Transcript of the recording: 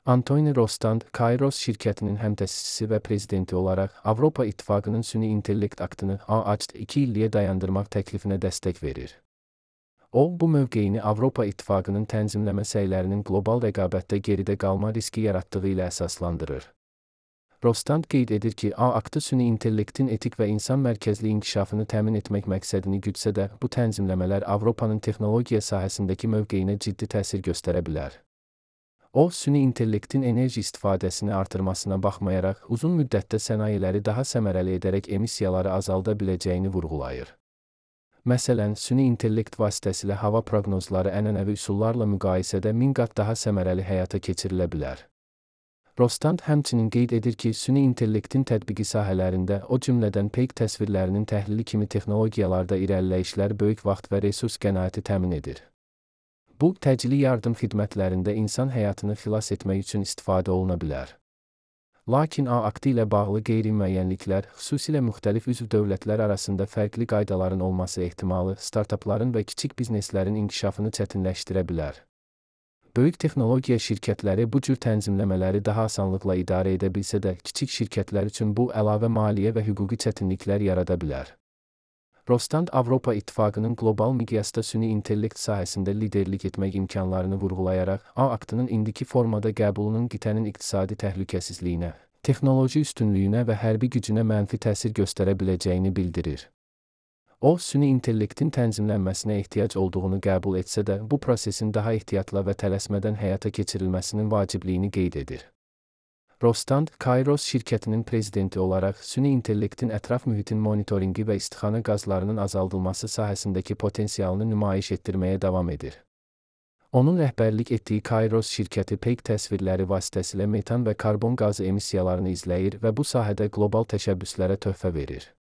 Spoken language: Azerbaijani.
Anthony Rostand, Kairos şirkətinin həm təsisçisi və prezidenti olaraq Avropa İttifaqının süni intellekt aktını AACT 2 illiyə dayandırmaq təklifinə dəstək verir. O, bu mövqeyini Avropa İttifaqının tənzimləmə səylərinin qlobal rəqabətdə geridə qalma riski yaratdığı ilə əsaslandırır. Rostand qeyd edir ki, aktı süni intellektin etik və insan mərkəzli inkişafını təmin etmək məqsədini güdsə də, bu tənzimləmələr Avropanın texnologiya sahəsindəki mövqeyinə ciddi təsir göstərə bilər. O, süni intellektin enerji istifadəsini artırmasına baxmayaraq, uzun müddətdə sənayeləri daha səmərəli edərək emissiyaları azalda biləcəyini vurğulayır. Məsələn, süni intellekt vasitəsilə hava proqnozları ənənəvi üsullarla müqayisədə 1000 qat daha səmərəli həyata keçirilə bilər. Rostand həmçinin qeyd edir ki, süni intellektin tətbiqi sahələrində, o cümlədən peyk təsvirlərinin təhlili kimi texnologiyalarda irəliləyişlər böyük vaxt və resurs qənaəti təmin edir. Bu, təcili yardım xidmətlərində insan həyatını xilas etmək üçün istifadə oluna bilər. Lakin aktı ilə bağlı qeyri-müəyyənliklər, xüsusilə müxtəlif üzv dövlətlər arasında fərqli qaydaların olması ehtimalı, startapların və kiçik bizneslərin inkişafını çətinləşdirə bilər. Böyük texnologiya şirkətləri bu cür tənzimləmələri daha asanlıqla idarə edə bilsə də, kiçik şirkətlər üçün bu əlavə maliyyə və hüquqi çətinliklər yarada bilər. Rostand Avropa İttifaqının qlobal miqyasda süni intellekt sahəsində liderlik etmək imkanlarını vurğulayaraq, aktının indiki formada qəbulunun qitənin iqtisadi təhlükəsizliyinə, texnoloji üstünlüyünə və hərbi gücünə mənfi təsir göstərə biləcəyini bildirir. O, süni intellektin tənzimlənməsinə ehtiyac olduğunu qəbul etsə də, bu prosesin daha ehtiyatla və tələsmədən həyata keçirilməsinin vacibliyini qeyd edir. Rostand, Kairos şirkətinin prezidenti olaraq süni intellektin ətraf mühitin monitoringi və istixana qazlarının azaldılması sahəsindəki potensialını nümayiş etdirməyə davam edir. Onun rəhbərlik etdiyi Kairos şirkəti peyk təsvirləri vasitəsilə metan və karbon qazı emissiyalarını izləyir və bu sahədə qlobal təşəbbüslərə töhfə verir.